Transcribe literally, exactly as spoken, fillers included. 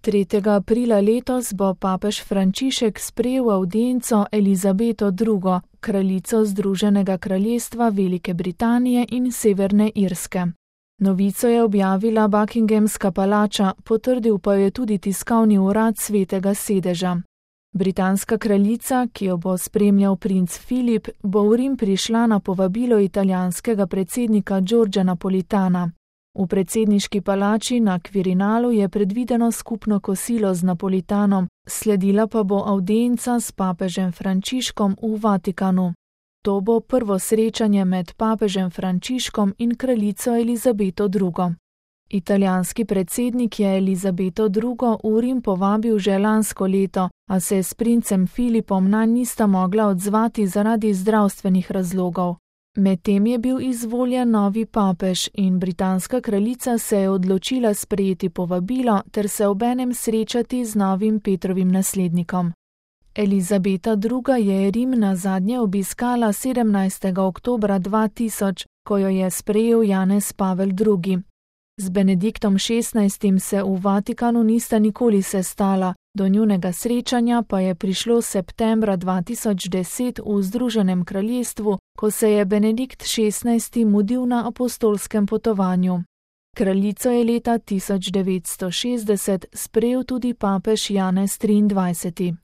tretjega aprila letos bo papež Frančišek sprejel avdienco Elizabeto drugo, kraljico Združenega kraljestva Velike Britanije in Severne Irske. Novico je objavila Buckinghamska palača, potrdil pa je tudi tiskovni urad Svetega sedeža. Britanska kraljica, ki jo bo spremljal princ Filip, bo v Rim prišla na povabilo italijanskega predsednika Giorgia Napolitana. V predsedniški palači na Quirinalu je predvideno skupno kosilo z Napolitanom, sledila pa bo avdienca s papežem Frančiškom v Vatikanu. To bo prvo srečanje med papežem Frančiškom in kraljico Elizabeto drugo. Italijanski predsednik je Elizabeto drugo v Rim povabil že lansko leto, a se s princem Filipom nanj nista mogla odzvati zaradi zdravstvenih razlogov. Medtem je bil izvoljen novi papež in britanska kraljica se je odločila sprejeti povabilo ter se obenem srečati z novim Petrovim naslednikom. Elizabeta druga je Rim nazadnje obiskala sedemnajstega oktobra dva tisoč, ko jo je sprejel Janez Pavel drugi. Z Benediktom šestnajstim se v Vatikanu nista nikoli sestala, do njunega srečanja pa je prišlo septembra dva tisoč deset v Združenem kraljestvu, ko se je Benedikt šestnajsti mudil na apostolskem potovanju. Kraljico je leta tisoč devetsto šestdeset sprejel tudi papež Janez triindvajseti.